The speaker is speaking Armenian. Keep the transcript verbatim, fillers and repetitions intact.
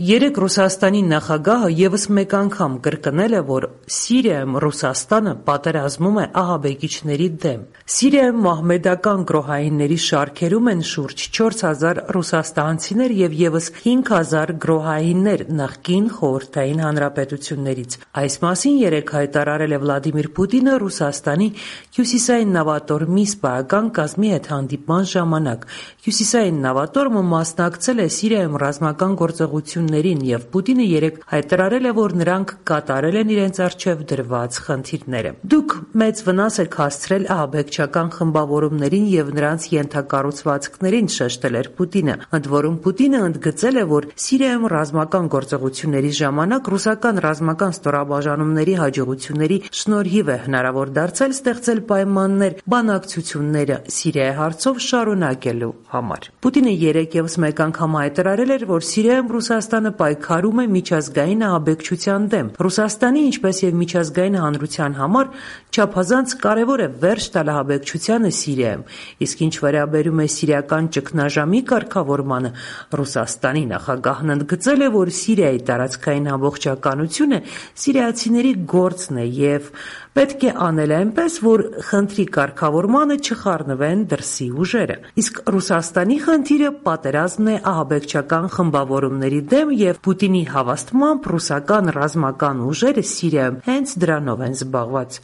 Երեկ Ռուսաստանի նախագահը ևս մեկ անգամ կրկնել է, որ Սիրիայում Ռուսաստանը պատերազմում է ահաբեկիչների դեմ։ Սիրիայում մահմեդական գրոհայինների շարքերում են շուրջ չորս հազար ռուսաստանցիներ և ևս հինգ հազար գրոհայիններ նախկին Խորհրդային Հանրապետություններից։ Այս մասին երեկ հայտարարել է Վլադիմիր Պուտինը Ռուսաստանի հյուսիսային նավատորմի սպայական կազմի հետ հանդիպման ժամանակ։ Հյուսիսային նավատորմը մասնակցել է Սիրիայում ռազմական գործողություններին և Պուտինը երեկ հայտարարել է, որ նրանք կատարել են իրենց առջև դրված խնդիրները։ Դուք մեծ վնաս եք հասցրել ահաբեկչական խմբավորումներին և նրանց ենթակառուցվածքներին, շեշտել էր Պուտինը։ Ընդ որում Պուտինը ընդգծել է, որ Սիրիայում ռազմական գործողությունների ժամանակ ռուսական ռազմական ստորաբաժանումների հաջողությունների շնորհիվ է հնարավոր դարձել ստեղծել պայմաններ բանակցությունները Սիրիայի հարցով շարունակելու համար։ Պուտինը երեկ ևս մեկ անգամ հայտարարել էր, որ Սիրիայում Ռուսաստանը պայքարում է միջազգային ահաբեկչության դեմ։ Ռուսաստանի, ինչպես և միջազգային հանրության համար չափազանց կարևոր է վերջ տալ ահաբեկչությանը Սիրիայում։ Իսկ ինչ վերաբերում է սիրիական ճգնաժամի կարգավորմանը, Ռուսաստանի նախագահն ընդգծել է, որ Սիրիայի տարածքային ամբողջականությունը սիրիացիների գործն է և պետք է անել այնպես, որ խնդրի կարգավորմանը չխառնվեն դրսի ուժերը։ Իսկ Ռուսաստանի խնդիրը պատերազմն է ահաբեկչական խմբավորումների դեմ և Պուտինի հավաստմամբ ռուսական ռազմական ուժերը Սիրիայում հենց դրանով են զբաղված։